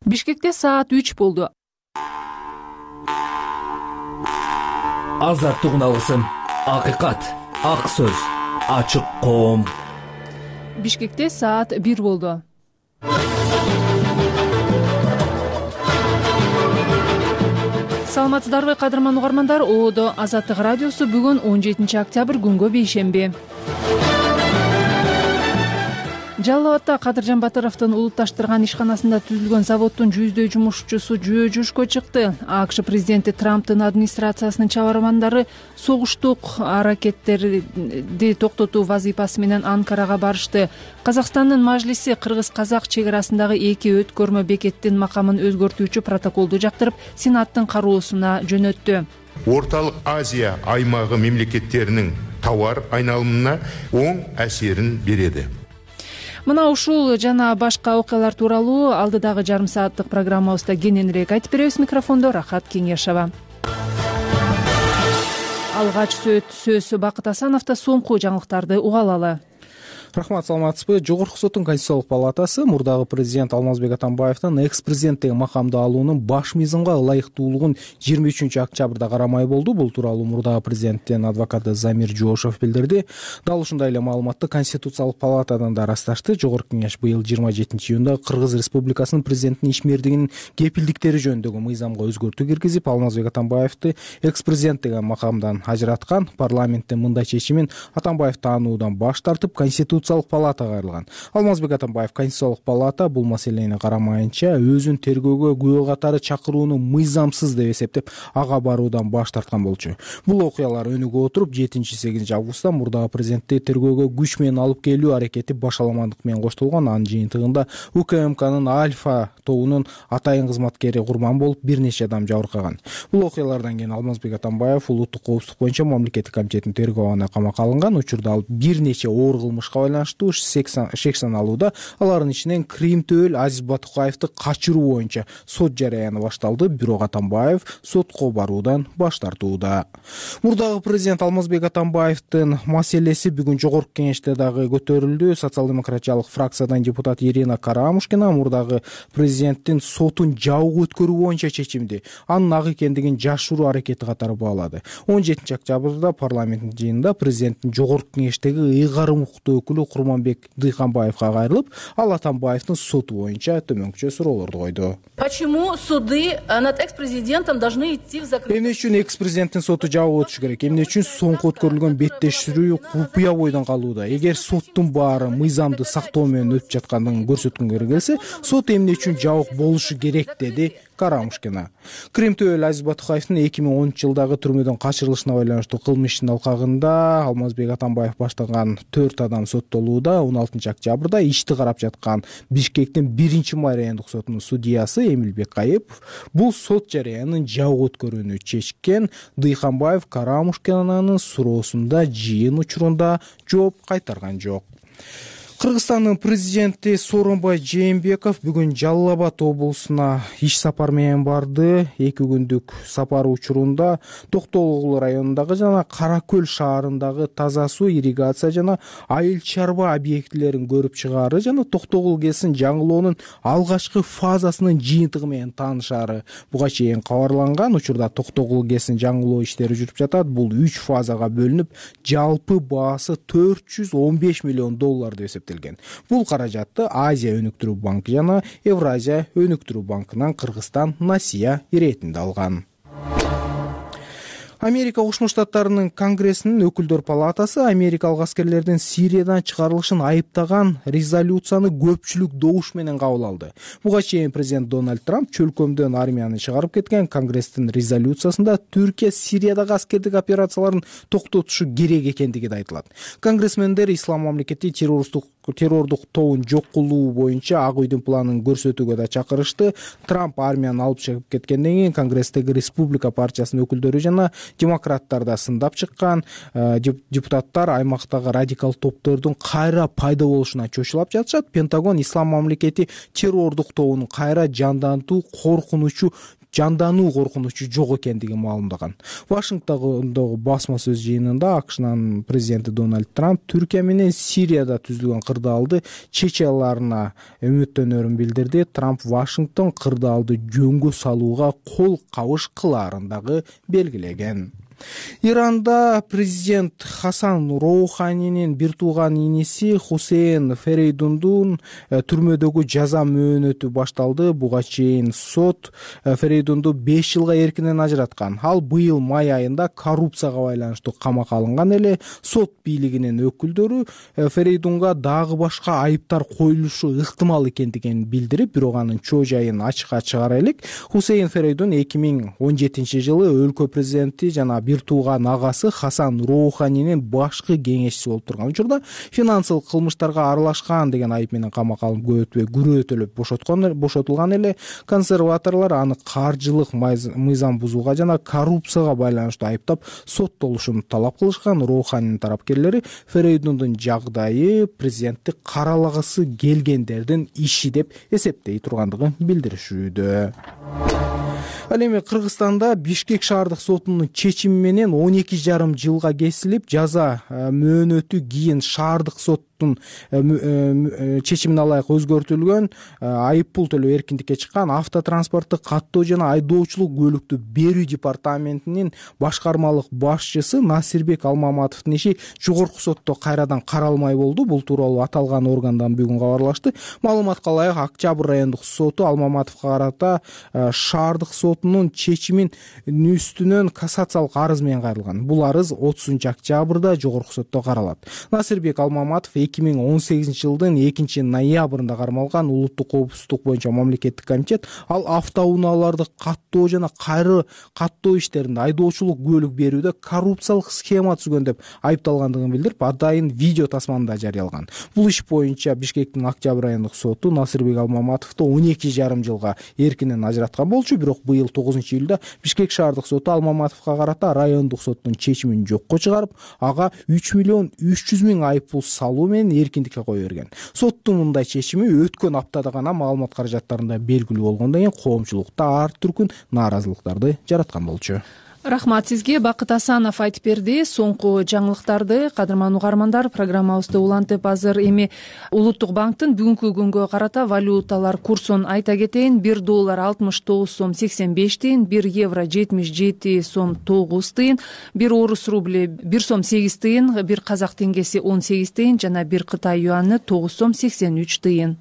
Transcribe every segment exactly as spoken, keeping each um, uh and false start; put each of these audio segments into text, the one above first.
Бишкекте саат үч болду. Азаттык алгысым, акыйкат, ак сөз, ачык коом. Бишкекте саат бир болду. Саламатсыздарбы кадырман угармандар, Оодо Азаттык радиосу бүгүн он жетинчи октябрь күнгө бейшемби. Жалал Абадта Кадыржан Батыровдун улутташтырган ишканасында түзүлгөн заводдун жүздөй жумушчусу жөө жүрүшкө чыкты. АКШ президенти Трамптын администрациясынын чабармандары согуштук аракеттерди токтотуу вазифасы менен Анкарага барышты. Казакстандын мажлиси кыргыз-казак чек арасындагы эки өткөрмө бекеттин макамын өзгөртүүчү протоколду жактырып, Сенаттын кароосуна жөнөттү. Орталык Азия аймагы мемлекеттеринин товар айналымына оң әсерин береді. Мына ушул жана башка окуялар тууралуу алдыдагы жарым сааттык программабызда кененирээк айтып беребиз. Микрофондо Рахат Кеңешова. Алгач сөз Бакыт Асановдо, соңку жаңылыктарды уга алалы. Рахмат, саламатсызбы. Жогорку соттун Конституциялык палатасы мурдагы президент Алмазбек Атамбаевдин экс-президент деген макамды алуунун баш мыйзамга ылайыктуулугун жыйырма үчүнчү октябрда карамай болду. Бул тууралуу мурдагы президенттин адвокаты Замир Жошов билдирди. Дал ушундай эле маалыматты Конституциялык палатадан да ырасташты. Жогорку кеңеш быйыл жыйырма жетинчи июнда Кыргыз Республикасынын президентинин ишмердигинин кепилдиктери жөнүндөгү мыйзамга өзгөртүү киргизип, Алмазбек Атамбаевди экс-президент деген макамдан ажыраткан. Парламенттин мындай чечимин Атамбаев таануудан баш тартып, Конституциялык палатага кайрылган. Алмазбек Атамбаев Конституциялык палата бул маселени карамайынча өзүн тергөөгө күбө катары чакырууну мыйзамсыз деп эсептеп, ага баруудан баш тарткан болчу. Бул окуялар өнүгө отуруп, жетинчи сегизинчи августта мурдагы президентти тергөөгө күч менен алып келүү аракети башаламандык менен коштолгон. Анын жыйынтыгында УКМКнын Альфа тобунун атайын кызматкери курман болуп, бир нече адам жабыркаган. Бул окуялардан кийин Алмазбек Атамбаев улуттук коопсуздук боюнча мамлекеттик комитеттин тергөө абагына камакка алынган. Учурда ал бир нече оор кылмышка байланыштуу шек саналууда. Алардын ичинен Крим Төөл Азиз Батукаевди качыруу боюнча сот жарыяны башталды. Бирок Атамбаев сотко баруудан баш тартууда. Мурдагы президент Алмазбек Атамбаевдин маселеси бүгүн жогорку кеңеште дагы көтөрүлдү. Социал-демократиялык фракциядан депутат Ирина Карамушкина мурдагы президенттин сотун жабык өткөрүү боюнча чечимди анын ак экендигин жашыруу аракети катары баалады. он жетинчи октябрда парламенттин жыйынында президенттин жогорку кеңештеги ыйгарым укуктуу өкүлү Курманбек Дыйханбаевга кайрылып, ал Атамбаевдин соту боюнча төмөнкүчө суроолорду койду. Почему суды над экс-президентом должны идти в закрытый? Эмне үчүн экс-президенттин соту жабык өтүшү керек? Эмне үчүн соңку өткөрүлгөн беттеширүү купуя бойдон калууда? Эгер соттун баары мыйзамды сактоо менен өтүп жаткандыгын көрсөткөнгө келсе, сот эмне үчүн жабык болушу керек, деди Карамушкина. Крим Төөл Азиз Батукаевдин эки миң онунчу жылдагы түрмөдөн качырылышына байланыштуу кылмыш ишинин алкагында Алмазбек Атамбаев баштаган төрт адам соттолууда. он алтынчы октябрда ишти карап жаткан Бишкектин биринчи майрайондук сотунун судьясы Эмилбек Кайыпов бул сот жарыянын жабык өткөрүүнү чечкен. Дыйханбаев Карамушкинанын суроосунда жыйын учурунда жооп кайтарган жок. Кыргызстандын президенти Сооронбай Жээнбеков бүгүн Жалал Абад облусуна иш сапар менен барды. Эки күндүк сапар учурунда Токтогул районундагы жана Кара Көл шаарындагы таза суу, ирригация жана айыл чарба объектилерин көрүп чыгаары жана Токтогул ГЭСин жаңылоонун алгачкы фазасынын жыйынтыгы менен таанышаары буга чейин кабарланган. Учурда Токтогул ГЭСин жаңылоо иштери жүрүп жатат. Бул үч фазага бөлүнүп, жалпы баасы төрт жүз он беш миллион доллар деп эсептелген. Бул каражатты Азия өнүктүрүү банкы жана Евразия өнүктүрүү банкынан Кыргызстан насыя иретинде алган. Америка Кошмо Штаттарынын Конгрессинин өкүлдөр палатасы америкалык аскерлердин Сириядан чыгарылышын айыптаган резолюцияны көпчүлүк добуш менен кабыл алды. Буга чейин президент Дональд Трамп чөлкөмдөн армияны чыгарып кеткен. Конгресстин резолюциясында Түркия Сириядагы аскердик операцияларын токтотушу керек экендиги да айтылат. Конгрессмендер Ислам мамлекети террористтик террордук тобун жок кылуу боюнча Ак үйдүн планын көрсөтүүгө да чакырышты. Трамп армияны алып чыгып кеткенден кийин Конгресстеги Республика партиясынын өкүлдөрү жана демократтар да сындап чыккан. Депутаттар аймактагы радикал топтордун кайра пайда болушуна чочулап жатышат. Пентагон Ислам мамлекети террордук тобун кайра жандантуу коркунучу жандануу коркунучу жок экендигин маалымдаган. Вашингтондогу басма сөз жыйынында АКШнын президенти Дональд Трамп Түркия менен Сирияда түзүлгөн кырдаалды чече аларына үмүттөнөрүн билдирди. Трамп Вашингтон кырдаалды жөнгө салууга кол кабыш кылаарын дагы белгилеген. Иранда президент Хасан Роуханинин бир тууган иниси Хусейн Ферейдундун түрмөдөгү жаза мөөнөтү башталды. Буга чейин сот Ферейдунду беш жылга эркинен ажыраткан. Ал быйыл май айында коррупцияга байланыштуу камакка алынган эле. Сот бийлигинин өкүлдөрү Ферейдунга дагы башка айыптар коюлушу ыктымал экендигин билдирип, бирок анын чоо жайын ачыкка чыгара элек. Хусейн Ферейдун эки миң он жетинчи жылы өлкө президенти жана бир тууган агасы Хасан Роуханинин башкы кеңешчиси болуп турган учурда финансылык кылмыштарга аралашкан деген айып менен камакка алынып көп өтпөй күрөөтөлүп бошоткон бошотулган эле. Консерваторлор аны каржылык мыйзам бузууга жана коррупцияга байланыштуу айыптап соттолушун талап кылышкан. Роуханинин тарапкерлери Ферейдундун жагдайы президентти каралагысы келгендердин иши деп эсептей тургандыгын билдиришүүдө. Ал эми Кыргызстанда Бишкек шаардык сотунун чечими менен он эки жарым жылга кесилип, жаза мөөнөтү кийин шаардык сот чечимине ылайык өзгөртүлгөн. Айып пул төлөө эркиндикке чыккан автотранспортту каттоо жана айдоочулук көлүктү берүү департаментинин башкармалык башчысы Насирбек Алмаматовдун иши жогорку сотто кайрадан каралмай болду. Бул тууралуу аталган органдан бүгүн кабарлашты. Маалыматка ылайык Октябрь райондук соту Алмаматовго карата шаардык сотунун чечимин үстүнөн кассациялык арыз менен кайрылган. Бул арыз отузунчу октябрда жогорку сотто каралат. Насирбек Алмаматов эки миң он сегизинчи жылдын экинчи ноябрында кармалган Улуттук коопсуздук боюнча мамлекеттик комитет ал автоунааларды каттоо жана кайры каттоо иштеринде айдоочулук күбөлүк берүүдө коррупциялык схема түзгөн деп айыпталгандыгын билдирип, атайын видео тасманы да жарыялаган. Бул иш боюнча Бишкектин Октябрь райондук соту Насирбек Алмаматовду он эки жарым жылга эркинен ажыраткан болчу, бирок быйыл тогузунчу июлда Бишкек шаардык соту Алмаматовго карата райондук соттун чечимин жокко чыгарып, ага үч миллион үч жүз миң айып пул салуу менен эркиндикке кое берген. Соттун мындай чечими өткөн аптада гана маалымат каражаттарында белгилүү болгондон кийин коомчулукта ар түркүн нааразылыктарды жараткан болчу. Рахмат сизге. Бакыт Асанов айтып берди соңку жаңылыктарды. Кадырман угармандар, программабызды улантып азыр эми Улуттук банктын бүгүнкү күнгө карата валюталар курсун айта кетейин. бир доллар алтымыш тогуз сом сексен беш тыйын, бир евро жетимиш жети сом тогуз тыйын, бир орус рубли бир сом сегиз тыйын, бир казак теңгеси он сегиз тыйын жана бир Кытай юаны тогуз сом сексен үч тыйын.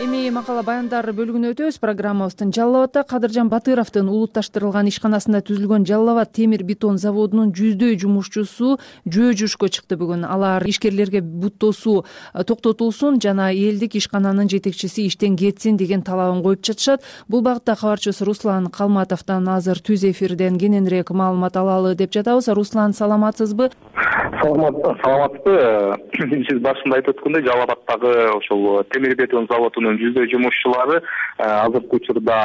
Эми макала баяндар бөлүгүнө өтөбүз. Программабыздын Жалал абадда Кадыржан Батыровдун улутташтырылган ишканасында түзүлгөн Жалал абад темир бетон заводунун жүздөй жумушчусу жөө жүрүшкө чыкты бүгүн. Алар ишкерлерге бут тосуу токтотулсун жана элдик ишкананын жетекчиси иштен кетсин деген талабын коюп жатышат. Бул багытта кабарчыбыз Руслан Калматовдон азыр түз эфирден кененирээк маалымат алалы деп жатабыз. Руслан, саламатсызбы? Саламатсызбы. Сиз башында айтып өткөндөй Жалал абаддагы ошол темир бетон заводунун жүздөй жумушчулары азыркы учурда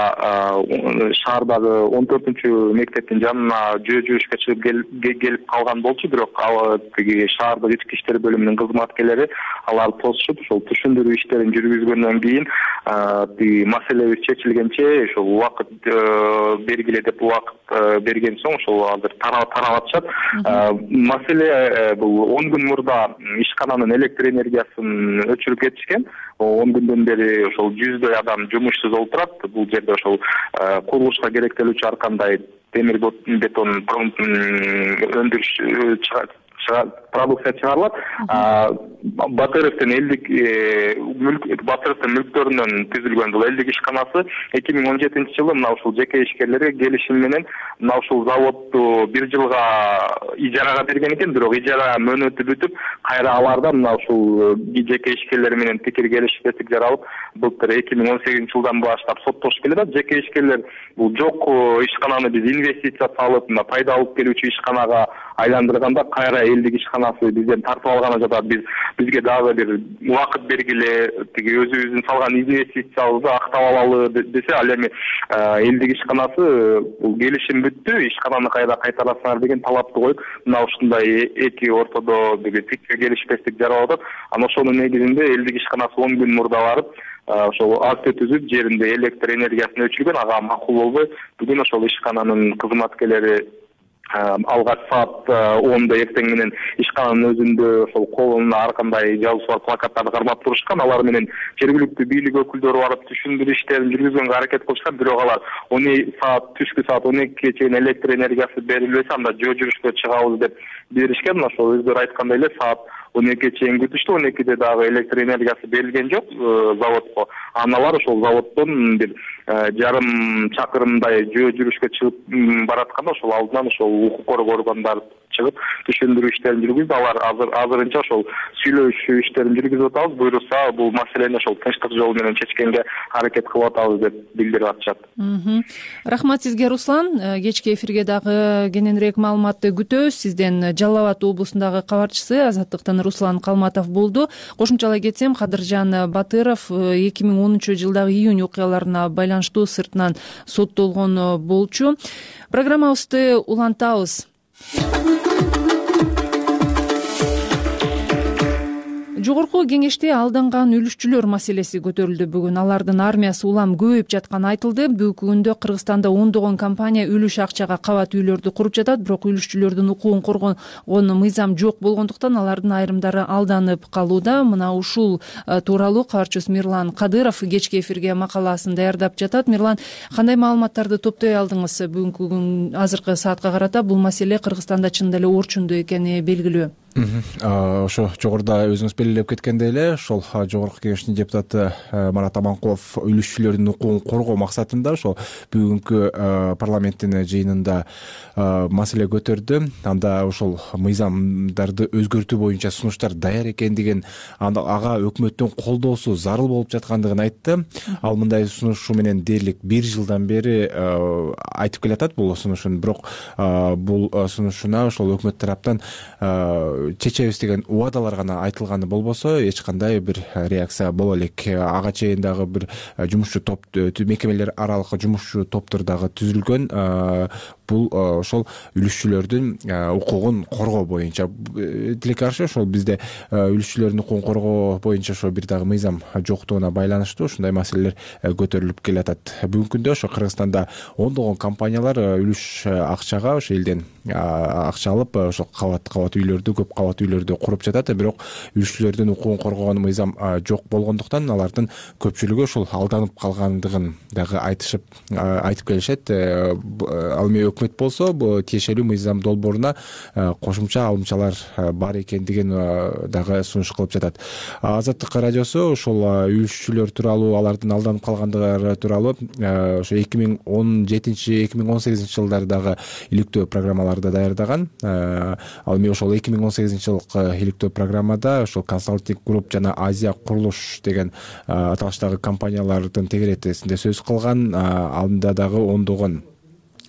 шаардагы он төртүнчү мектептин жанына жөө жүрүшкө чыгып келип калган болчу, бирок ал тиги шаардык ички иштер бөлүмүнүн кызматкерлери аларды тосушуп, ошол түшүндүрүү иштерин жүргүзгөндөн кийин тиги маселебиз чечилгенче ошол убакыт бергиле деп убакыт берген соң ошол азыр тарап атышат. Маселе бул он күн мурда ишкананын электр энергиясын өчүрүп кетишкен. он күндөн бери ошол жүздөй адам жумушсуз отурат. Бул жерде ошол курулушка керектелүүчү ар кандай темир бетон өндүрүш продукция чыгарылат. Батыровдун элдик Батыровдун мүлктөрүнөн түзүлгөн бул элдик ишканасы эки миң он жетинчи жылы мына ушул жеке ишкерлерге келишим менен мына ушул заводду бир жылга ижарага берген экен, бирок ижара мөөнөтү бүтүп, кайра аларда мына ушул жеке ишкерлер менен пикир келишпестик жаралып, былтыр эки миң он сегизинчи жылдан баштап соттошуп келет. Жеке ишкерлер бул жок ишкананы биз инвестиция салып, мына пайда алып келүүчү ишканага айландырганда кайра элдик ишканасы бизден тартып алганы жатат. Биз бизге дагы бир убакыт бергиле, тиги өзүбүздүн салган инвестициябызды актап алалы десе, ал эми элдик ишканасы бул келишим бүттү, ишкананы кайда кайтарасыңар деген талапты коюп, мына ушундай эки ортодо бир фикр келишпестик жаралып атат. Анан ошонун негизинде элдик ишканасы он күн мурда барып ошол акт түзүп, жеринде электр энергиясын өчүргөн, ага макул болбой бүгүн ошол ишкананын кызматкерлери алгач саат онда эртең менен ишкананын өзүндө ошол колуна ар кандай жазуусу бар плакаттарды кармап турушкан. Алар менен жергиликтүү бийлик өкүлдөрү барып түшүндүрүү иштерин жүргүзгөнгө аракет кылышкан. Бирок алар он саат түшкү саат он экиге чейин электр энергиясы берилбесе, анда жөө жүрүшкө чыгабыз деп беришкен. Ошол өздөрү айткандай эле саат он экиге чейин күтүштү. он экиде дагы электр энергиясы берилген жок заводко. Анан алар ошол заводдон бир жарым чакырымдай жөө жүрүшкө чыгып баратканда ошол алдынан ошол укук коргоо органдары чыгып түшүндүрүү иштерин жүргүздү. Алар азыр азырынча ошол сүйлөшүү иштерин жүргүзүп атабыз. Буйрукса бул маселени ошол тынчтык жолу менен чечкенге аракет кылып атабыз деп билдирип атышат. Рахмат сизге, Руслан. Кечки эфирге дагы кененирээк маалыматты күтөбүз. Сизден Жалал Абад облусундагы кабарчысы Азаттыктын Руслан Калматов болду. Кошумчалай кетсем, Кадыржан Батыров эки миң онунчу жылдагы июнь окуяларына байланыштуу сыртынан соттолгон болчу. Программабызды улантабыз. Жогорку кеңеште алданган үлүшчүлөр маселеси көтөрүлдү бүгүн. Алардын армиясы улам көбөйүп жатканы айтылды. Бүгүнкү күндө Кыргызстанда ондогон компания үлүш акчага кабат үйлөрдү куруп жатат, бирок үлүшчүлөрдүн укугун коргогон мыйзам жок болгондуктан алардын айрымдары алданып калууда. Мына ушул тууралуу кабарчыбыз Мирлан Кадыров кечки эфирге макаласын даярдап жатат. Мирлан, кандай маалыматтарды топтой алдыңыз бүгүнкү күн азыркы саатка карата? Бул маселе Кыргызстанда чындап эле орчундуу экени белгилүү. Ошо жогоруда өзүңүз белгилеп кеткендей эле, ошол жогорку кеңештин депутаты Марат Аманкулов үлүшчүлөрдүн укугун коргоо максатында ошол бүгүнкү парламенттин жыйынында маселе көтөрдү. Анда ошол мыйзамдарды өзгөртүү боюнча сунуштар даяр экендигин, анда ага өкмөттүн колдоосу зарыл болуп жаткандыгын айтты. Ал мындай сунушу менен дээрлик бир жылдан бери айтып келатат бул сунушун, бирок бул сунушуна ошол өкмөт тараптан чечебиз деген убадалар гана айтылганы болбосо эч кандай бир реакция боло элек. Ага чейин дагы бир жумушчу топ, мекемелер аралык жумушчу топтор дагы түзүлгөн. Бул ошол үлүшчүлөрдүн укугун коргоо боюнча. Тилекке каршы ошол бизде үлүшчүлөрдүн укугун коргоо боюнча ошо бир дагы мыйзам жоктугуна байланыштуу ушундай маселелер көтөрүлүп келатат. Бүгүнкү күндө ошо Кыргызстанда ондогон компаниялар үлүш акчага ошо элден акча алып ошо кабат кабат үйлөрдү, көп кабат үйлөрдү куруп жатат. Бирок үлүшчүлөрдүн укугун коргогон мыйзам жок болгондуктан алардын көпчүлүгү ошол алданып калгандыгын дагы айтышып айтып келишет. Ал эми өкмөт болсо бул тиешелүү мыйзам долбооруна кошумча алымчалар бар экендигин дагы сунуш кылып жатат. Азаттык радиосу ошол үлүшчүлөр тууралуу, алардын алданып калгандыгы тууралуу ошо эки миң он жетинчи эки миң он сегизинчи жылдары дагы иликтөө программаларды даярдаган. Ал эми ошол эки миң он сегизинчи жылкы иликтөө программада ошол Консалтинг Групп жана Азия Курулуш деген аталыштагы компаниялардын тегеретесинде сөз кылган. Анда дагы ондогон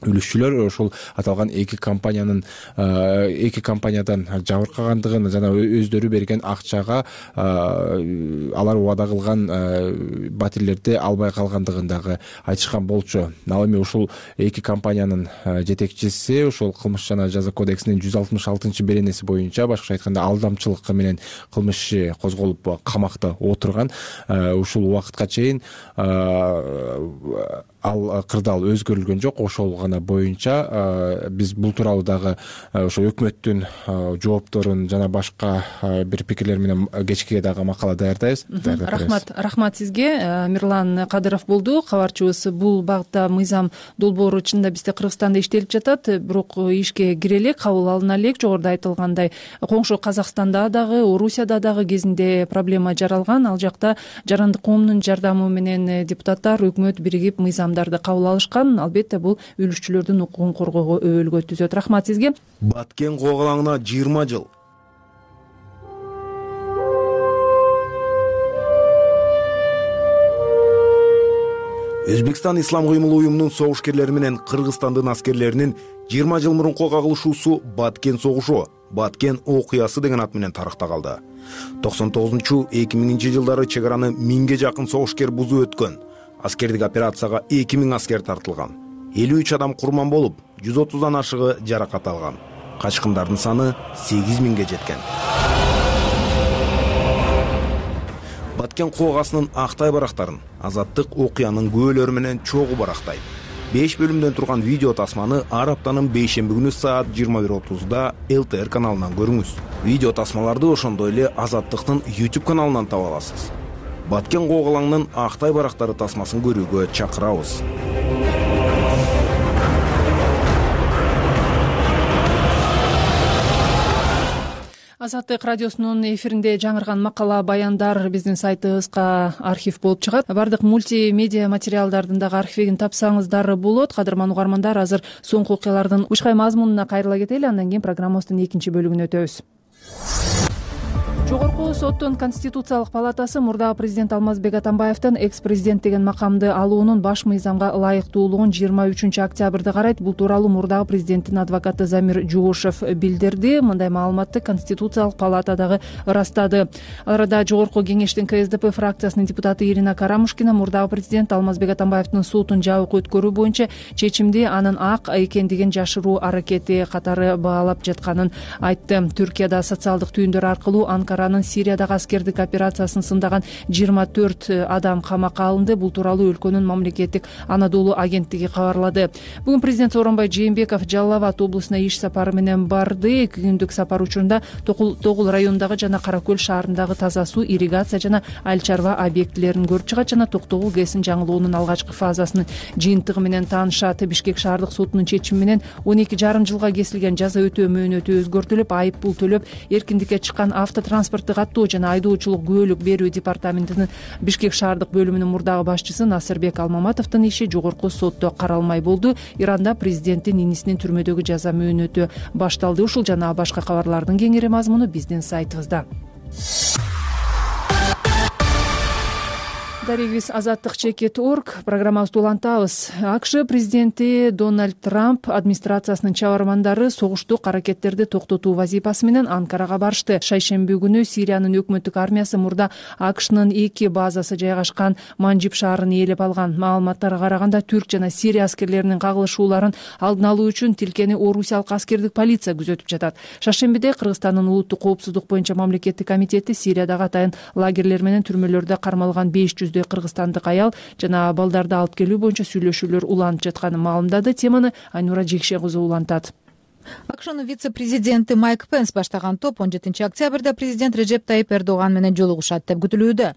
үлүшчүлөр ошол аталган эки компаниянын эки компаниядан жабыркагандыгын жана өздөрү берген акчага алар убада кылган батирлерди албай калгандыгын дагы айтышкан болчу. Ал эми ушул эки компаниянын жетекчиси ошол кылмыш жана жаза кодексинин жүз алтымыш алтынчы беренеси боюнча, башкача айтканда алдамчылык менен кылмыш иши козголуп камакта отурган. Ушул убакытка чейин ал кырдаал өзгөрүлгөн жок. Ошол гана боюнча биз бул тууралуу дагы ошо өкмөттүн жоопторун жана башка бир пикирлер менен кечке дагы макала даярдайбыз. Рахмат, рахмат сизге. Мирлан Кадыров болду кабарчыбыз. Бул багытта мыйзам долбоору чынында бизде Кыргызстанда иштелип жатат, бирок ишке кире элек, кабыл алына элек. Жогоруда айтылгандай, коңшу Казакстанда дагы, Орусияда дагы кезинде проблема жаралган. Ал жакта жарандык коомдун жардамы менен депутаттар, өкмөт биригип мыйзам кабыл алышкан. Албетте бул үлүшчүлөрдүн укугун коргоого өбөлгө түзөт. Рахмат сизге. Баткен когалаңына жыйырма жыл. Өзбекстан Ислам кыймыл уюмунун согушкерлери менен Кыргызстандын аскерлеринин жыйырма жыл мурунку кагылышуусу Баткен согушу. Баткен окуясы деген ат менен тарыхта калды. токсон тогузунчу эки миңинчи жылдары чек араны миңге жакын согушкер бузуп өткөн. Аскердик операцияга эки миң аскер тартылган. элүү үч адам курман болуп, жүз отуздан ашыгы жаракат алган. Качкындардын саны сегиз миңге жеткен. Баткен коогасынын актай барактарын Азаттык окуянын күбөлөрү менен чогуу барактайт. беш бөлүмдөн турган видео тасманы ар аптанын бейшемби күнү саат жыйырма бир отузда эл тэ эр каналынан көрүңүз. Видео тасмаларды ошондой эле Азаттыктын YouTube каналынан таба аласыз. Баткен коогалаңдын актай барактары тасмасын көрүүгө чакырабыз. Азаттык радиосунун эфиринде жаңырган макала, баяндар биздин сайтыбызга архив болуп чыгат. Бардык мультимедиа материалдардын дагы архивин тапсаңыздар болот. Кадырман угармандар, азыр соңку окуялардын учкай мазмунуна кайрыла кетели, андан кийин программабыздын экинчи бөлүгүнө өтөбүз. Жогорку соттун Конституциялык палатасы мурдагы президент Алмазбек Атамбаевдин экс-президент деген макамды алуунун баш мыйзамга ылайыктуулугун жыйырма үчүнчү октябрда карайт. Бул тууралуу мурдагы президенттин адвокаты Замир Жугушев билдирди. Мындай маалыматты Конституциялык палата дагы ырастады. Ал арада Жогорку кеңештин ка эс дэ пэ фракциясынын депутаты Ирина Карамушкина мурдагы президент Алмазбек Атамбаевдин сотун жабык өткөрүү боюнча чечимди анын ак экендигин жашыруу аракети катары баалап жатканын айтты. Түркияда социалдык түйүндөр аркылуу Анкара Сириядагы аскердик операциясын сындаган жыйырма төрт адам камакка алынды. Бул тууралуу өлкөнүн мамлекеттик Анадолу агенттиги кабарлады. Бүгүн президент Сооронбай Жээнбеков Жалал Абад облусуна иш сапары менен барды. Эки күндүк сапар учурунда Тогул районундагы жана Кара Көл шаарындагы таза суу, ирригация жана айыл чарба объектилерин көрүп чыгат жана Токтогул ГЭСин жаңылоонун алгачкы фазасынын жыйынтыгы менен таанышат. Бишкек шаардык сотунун чечими менен он эки жарым жылга кесилген жаза өтөө мөөнөтү өзгөртүлүп, айып пул төлөп эркиндикке чыккан автотранспорт каттоо жана айдоочулук күбөлүк берүү департаментинин Бишкек шаардык бөлүмүнүн мурдагы башчысы Насырбек Алмаматовдун иши жогорку сотто каралмай болду. Иранда президенттин инисинин түрмөдөгү жаза мөөнөтү башталды. Ушул жана башка кабарлардын кеңири мазмуну биздин сайтыбызда. Дарегибиз азаттык чекит точка орг программабызды улантабыз. АКШ президенти Дональд Трамп администрациясынын чабармандары согуштук аракеттерди токтотуу вазифасы менен Анкарага барышты. Шайшемби күнү Сириянын өкмөттүк армиясы мурда АКШнын эки базасы жайгашкан Манжиб шаарын ээлеп алган. Маалыматтарга караганда Түрк жана Сирия аскерлеринин кагылышууларын алдын алуу үчүн тилкени Орусиялык аскердик полиция күзөтүп жатат. Шаршембиде Кыргызстандын улуттук коопсуздук боюнча мамлекеттик комитети Сириядагы атайын лагерлер менен түрмөлөрдө кармалган беш жүз кыргызстандык аял жана балдарды алып келүү боюнча сүйлөшүүлөр уланып жатканын маалымдады. Теманы Айнура Жекше кызы улантат. АКШнын вице-президенти Майк Пенс баштаган топ он жетинчи октябрда президент Режеп Тайип Эрдоган менен жолугушат деп күтүлүүдө.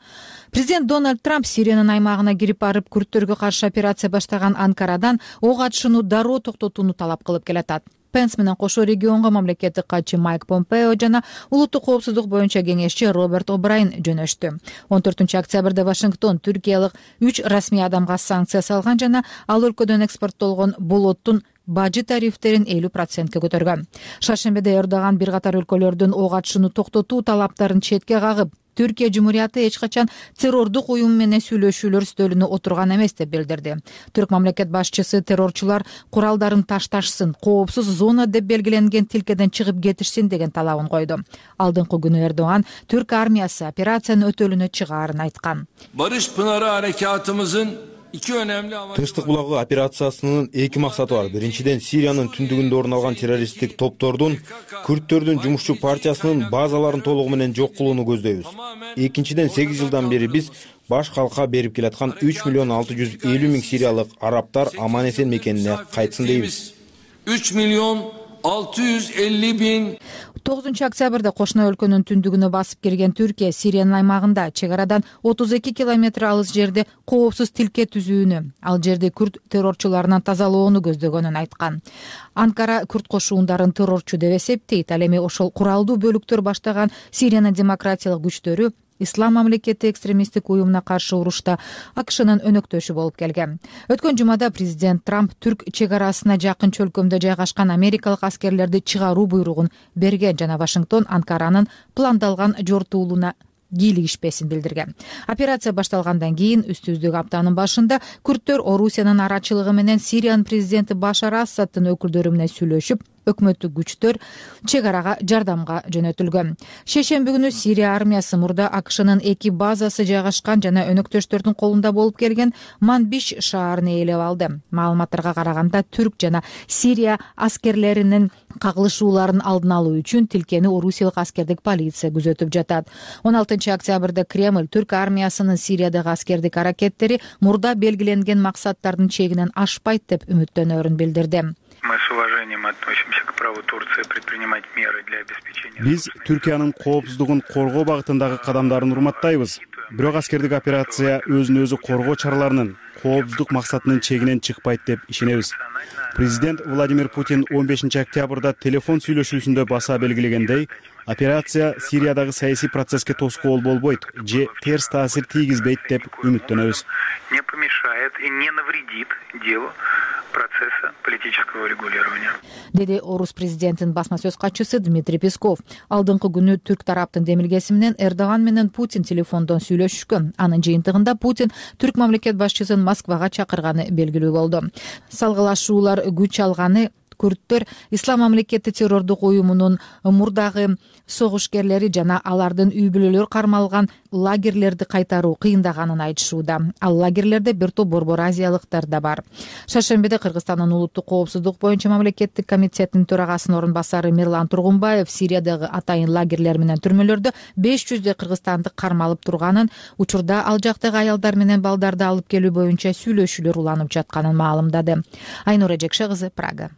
Президент Дональд Трамп Сириянын аймагына кирип барып, күрттөргө каршы операция баштаган Анкарадан ок атышууну дароо токтотууну талап кылып келатат. Пенс менен кошо регионго мамлекеттик катчы Майк Помпео жана улуттук коопсуздук боюнча кеңешчи Роберт О'Брайен жөнөштү. он төртүнчү октябрда Вашингтон түркиялык үч расмий адамга санкция салган жана ал өлкөдөн экспорттолгон болоттун бажы тарифтерин элүү процентке көтөргөн. Шаршембиде Эрдоган бир катар өлкөлөрдүн ок атышууну токтотуу талаптарын четке кагып, Түркия Жумурияты эч качан террордук уюм менен сүйлөшүүлөр стөлүнө отурган эмес деп билдирди. Түрк мамлекет башчысы террорчулар куралдарын ташташсын, коопсуз зона деп белгиленген тилкеден чыгып кетишсин деген талабын койду. Алдыңкы күнү Эрдоган Түрк армиясы операциянын өтөлүнө чыгаарын айткан. Барыш Пынары аракатымыздын Тынчтык булагы операциясынын эки максаты бар. Биринчиден, Сириянын түндүгүндө орун алган террористтик топтордун Күрттөрдүн жумушчу партиясынын базаларын толугу менен жок кылууну көздөйбүз. Экинчиден, сегиз жылдан бери биз баш калкка берип келаткан үч миллион алты жүз элүү миң сириялык арабтар аман-эсен мекенине кайтсын дейбиз. үч миллион алты жүз элүү миң тогузунчу октябрда кошуна өлкөнүн түндүгүнө басып кирген Түркия Сириянын аймагында чек арадан отуз эки километр алыс жерде коопсуз тилке түзүүнү, ал жерди күрт террорчуларынан тазалоону көздөгөнүн айткан. Анкара күрт кошуундарын террорчу деп эсептейт. Ал эми ошол куралдуу бөлүктөр баштаган Сириянын демократиялык күчтөрү Ислам мамлекети экстремисттик уюмуна каршы урушта АКШнын өнөктөшү болуп келген. Өткөн жумада президент Трамп Түрк чек арасына жакын чөлкөмдө жайгашкан америкалык аскерлерди чыгаруу буйругун берген жана Вашингтон Анкаранын пландалган жортуулуна кийлигишпесин билдирген. Операция башталгандан кийин үстүбүздөгү аптанын башында күрттөр Орусиянын арачылыгы менен Сириянын президенти Башар Асаддын өкүлдөрү менен сүйлөшүп, өкмөттүк күчтөр чек арага жардамга жөнөтүлгөн. Шейшемби күнү Сирия армиясы мурда АКШнын эки базасы жайгашкан жана өнөктөштөрдүн колунда болуп келген Манбиш шаарын ээлеп алды. Маалыматтарга караганда Түрк жана Сирия аскерлеринин кагылышууларын алдын алуу үчүн тилкени орусиялык аскердик полиция күзөтүп жатат. он алтынчы октябрда Кремль Түрк армиясынын Сириядагы аскердик аракеттери мурда белгиленген максаттардын чегинен ашпайт деп үмүттөнөрүн билдирди. Мы с уважением относимся к праву Турции предпринимать меры для обеспечения. Биз Түркиянын коопсуздугун коргоо багытындагы кадамдарын урматтайбыз. Бирок аскердик операция өзүн өзү коргоо чараларынын коопсуздук максатынын чегинен чыкпайт деп ишенебиз. Президент Владимир Путин он бешинчи октябрда телефон сүйлөшүүсүндө баса белгилегендей, операция Сириядагы саясий процесске тоскоол болбойт же терс таасир тийгизбейт деп үмүттөнөбүз. Не помешает и не навредит делу процесса политического регулирования. Деди орус президентинин басма сөз катчысы Дмитрий Песков. Алдыңкы күнү түрк тараптын демилгеси менен Эрдоган менен Путин телефондон сүйлөшүшкөн. Анын жыйынтыгында Путин түрк мамлекет башчысын Москвага чакырганы белгилүү болду. Салгылашуулар күч алганы күрттөр Ислам мамлекети террордук уюмунун мурдагы согушкерлери жана алардын үй бүлөлөр кармалган лагерлерди кайтаруу кыйындаганын айтышууда. Ал лагерлерде бир топ борбор азиялыктар да бар. Шаршембиде Кыргызстандын улуттук коопсуздук боюнча мамлекеттик комитетинин төрагасынын орун басары Мирлан Тургунбаев Сириядагы атайын лагерлер менен түрмөлөрдө беш жүздөй кыргызстандык кармалып турганын, учурда ал жактагы аялдар менен балдарды алып келүү боюнча сүйлөшүүлөр уланып жатканын маалымдады. Айнура Жекше кызы, Прага.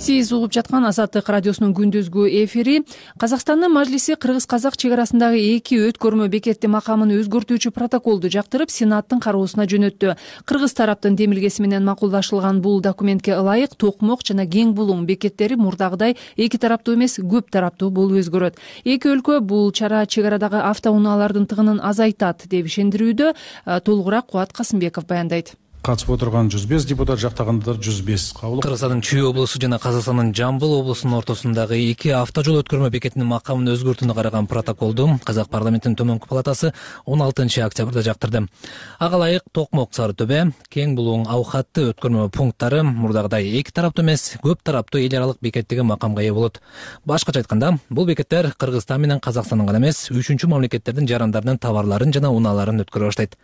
Сиз угуп жаткан Азаттык радиосунун күндүзгү эфири. Казакстандын Мажлиси кыргыз-казак чек арасындагы эки өткөрмө бекети макамын өзгөртүүчү протоколду жактырып, Сенаттын кароосуна жөнөттү. Кыргыз тараптын демилгеси менен макулдашылган бул документке ылайык Токмок жана Кең Булуң бекеттери мурдагыдай эки тараптуу эмес, көп тараптуу болуп өзгөрөт. Эки өлкө бул чара чек арадагы автоунаалардын тыгынын азайтат деп ишендирүүдө. Толугураак Кубат Касымбеков баяндайт. Катышып отырган жүз беш депутат, жактагандар жүз беш. Кыргызстандын Чүй облусу жана Казакстандын Жамбыл облусунун ортосундагы эки автожол өткөрмө бекетинин макамын өзгөртүүнү караган протоколду Казак парламентинин төмөнкү палатасы он алтынчы октябрда жактырды. Ага ылайык Токмок Сары Төбө, Кең Булуң аукатты өткөрмө пункттары мурдагыдай эки тараптуу эмес, көп тараптуу эл аралык бекеттеги макамга ээ болот. Башкача айтканда, бул бекеттер Кыргызстан менен Казакстандын гана эмес, үчүнчү мамлекеттердин жарандарынын товарларын жана унааларын өткөрө баштайт.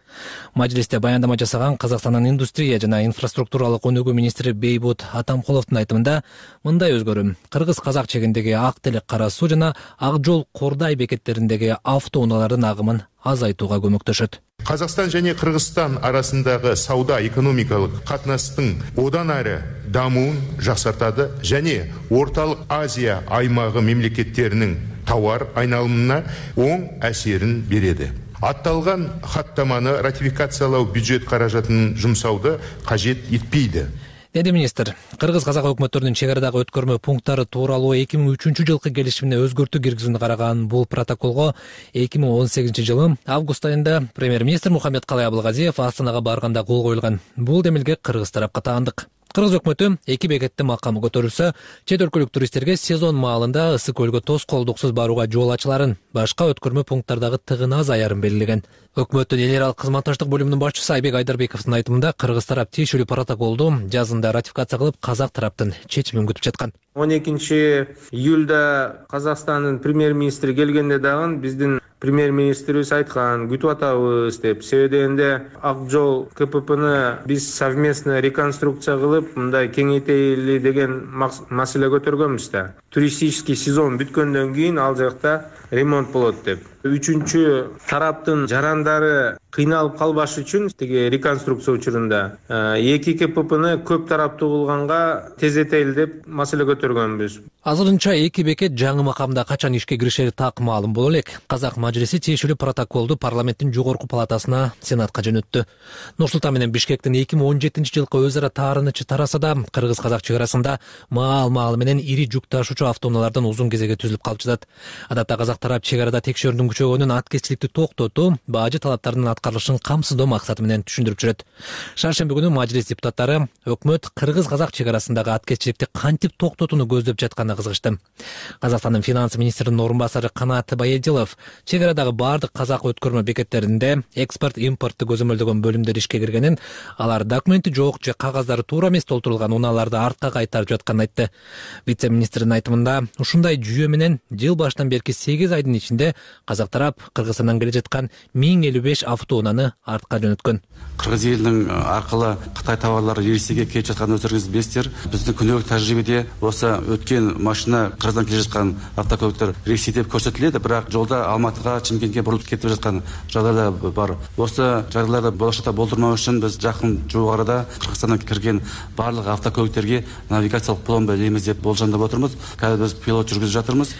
Мажлисте баяндама жасаган Казакстандын индустрия жана инфраструктуралык өнүгүү министри Бейбут Атамкуловдун айтымында, мындай өзгөрүү кыргыз-казак чегиндеги ак телек кара суу жана ак жол Кордай бекеттериндеги автоунаалардын агымын азайтууга көмөктөшөт. Казакстан және Кыргызстан арасындағы сауда экономикалық қатынастың одан әрі дамуын жақсартады және Орталық Азия аймағы мемлекеттерінің тауар айналымына оң әсерін береді. Атталған хаттаманы ратификациялау бюджет қаражатын жұмсауды қажет етпейді. Деди министр, кыргыз-казак өкмөттөрүнүн чек арадагы өткөрмө пункттары тууралуу эки миң үчүнчү жылкы келишимине өзгөртүү киргизүүнү караган бул протоколго эки миң он сегизинчи жылы август айында премьер-министр Мухаммед Калай Абылгазиев Астанага барганда кол коюлган. Бул демилге кыргыз тарапка таандык. Кыргыз өкмөтү эки бекеттин макамы көтөрүлсө, чет өлкөлүк туристтерге сезон маалында ысык көлгө тоскоолдуксуз барууга жол ачыларын, башка өткөрмө пункттардагы тыгын азаярын белгилеген. Өкмөттүн эл аралык кызматташтык бөлүмүнүн башчысы Айбек Айдарбековдун айтымында, кыргыз тарап тиешелүү протоколду жазында ратификация кылып, казак тараптын чечимин күтүп жаткан. он экинчи июлда Казакстандын премьер-министри келгенде дагы биздин премьер-министрибиз айткан, күтүп атабыз деп. Себеби дегенде ак жол КППны биз совместно реконструкция кылып, мындай кеңейтели деген маселе көтөргөнбүз да. Туристический сезон бүткөндөн кийин ал жакта ремонт болот деп. Үчүнчү тараптын жарандары кыйналып калбаш үчүн тиги реконструкция учурунда эки КППны көп тараптуу кылганга тездетели деп маселе көтөргөнбүз. Азырынча эки бекет жаңы макамда качан ишке киришери так маалым боло элек. Казак Мажлиси тиешелүү протоколду парламенттин жогорку палатасына, Сенатка жөнөттү. Нур-Султан менен Бишкектин эки миң он жетинчи жылкы өз ара таарынычы тараса да, кыргыз-казак чек арасында маал-маал менен ири жүк ташуучу автоунаалардан узун кезеге түзүлүп калып жатат. Адатта казак тарап чек арада текшерүүнүн күчөгөнүн аткезчиликти токтотуу, бажы талаптарынын аткарылышын камсыздоо максаты менен түшүндүрүп жүрөт. Шаршемби күнү мажилис депутаттары өкмөт кыргыз-казак чек арасындагы аткезчиликти кантип токтотууну көздөп жатканына кызыгышты. Казакстандын финанс министринин орун басары Канат Баядилов чек арадагы бардык казак өткөрмө бекеттеринде экспорт импортты көзөмөлдөгөн бөлүмдөр ишке киргенин, алар документи жок же кагаздары туура эмес толтурулган унааларды артка кайтарып жатканын айтты. Вице-министрдин айтымында, ушундай жүйө менен жыл башынан берки сегиз айдын ичинде казак тарап Кыргызстандан келе жаткан миң элүү беш автоунаны артка жөнөткөн. Кыргыз элинин аркылуу Кытай товарлары Ресейге келип жатканын өздөрүңүз билесиздер. Биздин күнөөбүк тажрыйбеде осы өткен машина Кыргыздан келе жаткан автокөлүктөр Ресей деп көрсөтүлөт, бирок жолда Алматыга, Чымкентке бурулуп кетип жаткан жагдайлар бар. Осы жагдайларды болошокто болдурмоо үчүн биз жакын жуук арада Кыргызстандан кирген барлык автокөлүктөргө навигациялык пломба илебиз деп болжондоп отурбуз. Казыр биз пилот жүргүзүп жатырбыз,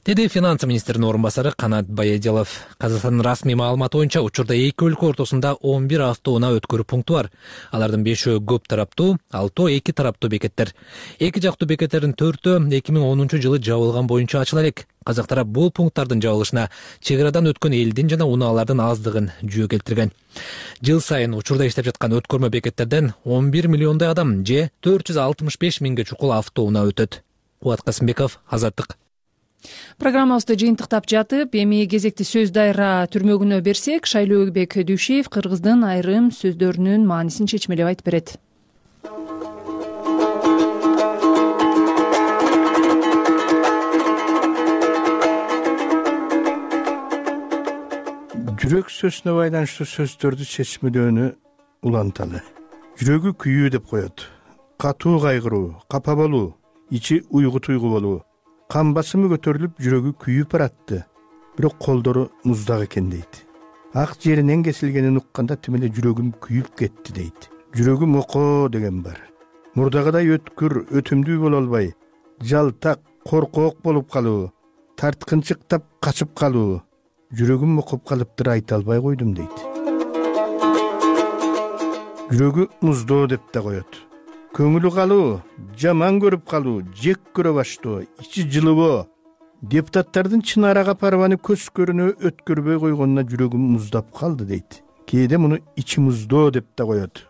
деди финанс министринин орун басары Канат Баядилов. Казакстандын расмий маалыматы боюнча учурда эки өлкө ортосунда он бир автоунаа өткөрүү пункту бар. Алардын бешөө көп тараптуу, алтоо эки тараптуу бекеттер. Эки жактуу бекеттердин төртөө эки миң онунчу жылы жабылган боюнча ачыла элек. Казак тарап бул пункттардын жабылышына чек арадан өткөн элдин жана унаалардын аздыгын жөө келтирген. Жыл сайын учурда иштеп жаткан өткөрмө бекеттерден он бир миллиондой адам же төрт жүз алтымыш беш миңге чукул автоунаа өтөт. Кубат Касымбеков, Азаттык. Программабызды жыйынтыктап жатып, эми кезекти сөз дайра түрмөгүнө берсек, Шайлообек Дүйшеев Кыргыздын айрым сөздөрүнүн маанисин чечмелеп айтып берет. Жүрөк сөзүнө байланыштуу сөздөрдү чечмелөөнү уланталы. Жүрөгү күйүү деп коет. Катуу кайгыруу, капа болуу, ичи уйгу туйгу болуу. Кан басымы көтөрүлүп, жүрөгү күйүп баратты. Бирок колдору муздак экен дейт. Ак жеринен кесилгенин укканда тим эле жүрөгүм күйүп кетти дейт. Жүрөгүм окоо деген бар. Мурдагыдай өткүр, өтүмдүү боло албай, жалтак, коркоок болуп калуу, тарткынчыктап качып калуу. Жүрөгүм окуп калыптыр, айта албай койдум дейт. Жүрөгү муздоо деп да коет. Көңүлү калуу, жаман көрүп калуу, жек көрө баштоо, ичи жылыбоо. Депутаттардын чын арага парваны көз көрүнө өткөрбөй койгонуна жүрөгүм муздап калды дейт. Кээде муну ичи муздоо деп да коет.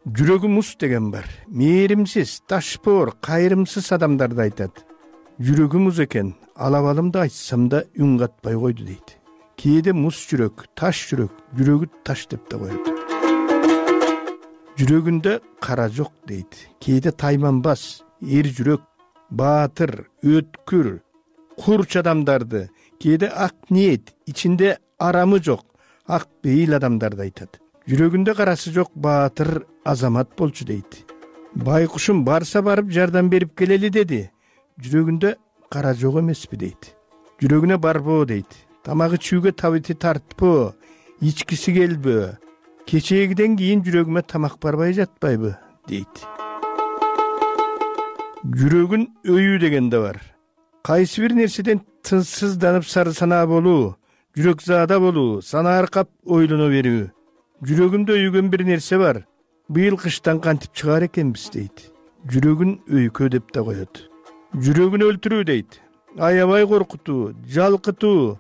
Жүрөгү муз деген бар. Мээримсиз, ташпоор, кайрымсыз адамдарды айтат. Жүрөгү муз экен, алабалымды айтсам да үн катпай койду дейт. Кээде муз жүрөк, таш жүрөк, жүрөгү таш деп да коет. Жүрөгүндө кара жок дейт. Кээде тайманбас, эр жүрөк, баатыр, өткүр, курч адамдарды, кээде ак ниет, ичинде арамы жок, ак бейил адамдарды айтат. Жүрөгүндө карасы жок баатыр азамат болчу дейт. Байкушум барса барып жардам берип келели деди. Жүрөгүндө кара жок эмеспи дейт. Жүрөгүнө барбоо дейт. Тамагы чүүгө табити тартпоо, ичкиси келбөө. Кечегиден кийин жүрөгүмө тамак барбай жатпайбы дейт. Жүрөгүн өйүү деген да бар. Кайсы бир нерседен тынсызданып сары санаа болуу, жүрөк заада болуу, сана аркап ойлоно берүү. Жүрөгүмдө өйгөн бир нерсе бар. Быйыл кыштан кантип чыгаар экенбиз дейт. Жүрөгүн өйкө деп да коет. Жүрөгүн өлтүрүү дейт. Аябай коркутуу, жалкытуу,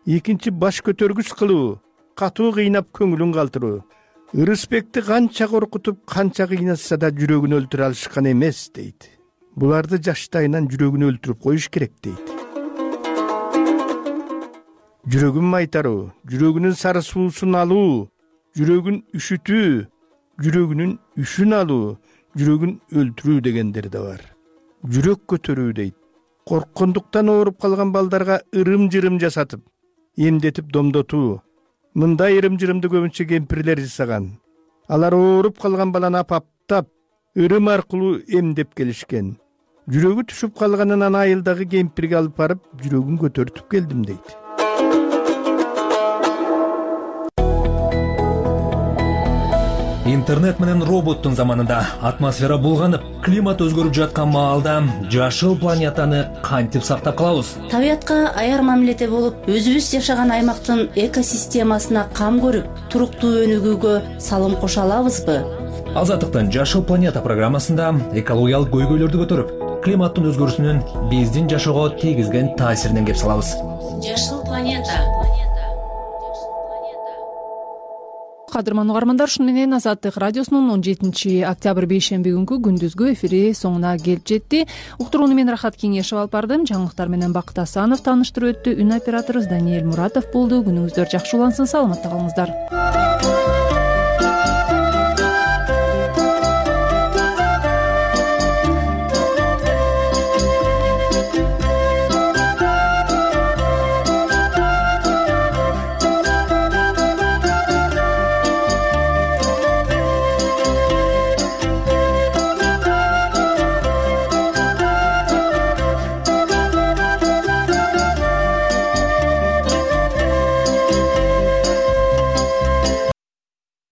экинчи баш көтөргүс кылуу, катуу кыйнап көңүлүн калтыруу. Ырысбекти канча коркутуп, канча кыйнатса да жүрөгүн өлтүрө алышкан эмес дейт. Буларды жаштайынан жүрөгүн өлтүрүп коюш керек дейт. Жүрөгүн майтаруу, жүрөгүнүн сары суусун алуу, жүрөгүн үшүтүү, жүрөгүнүн үшүн алуу, жүрөгүн өлтүрүү дегендер да бар. Жүрөк көтөрүү дейт. Корккондуктан ооруп калган балдарга ырым-жырым жасатып, эмдетип домдотуу. Мындай ырым-жырымды көбүнчө кемпирлер жасаган. Алар ооруп калган баланы апаптап, ырым аркылуу эмдеп келишкен. Жүрөгү түшүп калганынан айылдагы кемпирге алып барып, жүрөгүн көтөртүп келдим дейт. Интернет менен роботтун заманында атмосфера булганып, климат өзгөрүп жаткан маалда жашыл планетаны кантип сактап калабыз? Табиятка аяр мамиледе болуп, өзүбүз жашаган аймактын экосистемасына кам көрүп, туруктуу өнүгүүгө салым кошо алабызбы? Азаттыктын Жашыл планета программасында экологиялык көйгөйлөрдү көтөрүп, климаттын өзгөрүүсүнүн биздин жашоого тийгизген таасиринен кеп салабыз. Жашыл планета. кадырман угармандар, ушуну менен Азаттык радиосунун он жетинчи октябрь бейшемби күнкү күндүзгү эфири соңуна келип жетти. Уктурууну мен Рахат Кеңешев алып бардым. Жаңылыктар менен Бакыт Асанов тааныштырып өттү. Үн операторубуз Даниэль Муратов болду. Күнүңүздөр жакшы улансын, саламатта калыңыздар.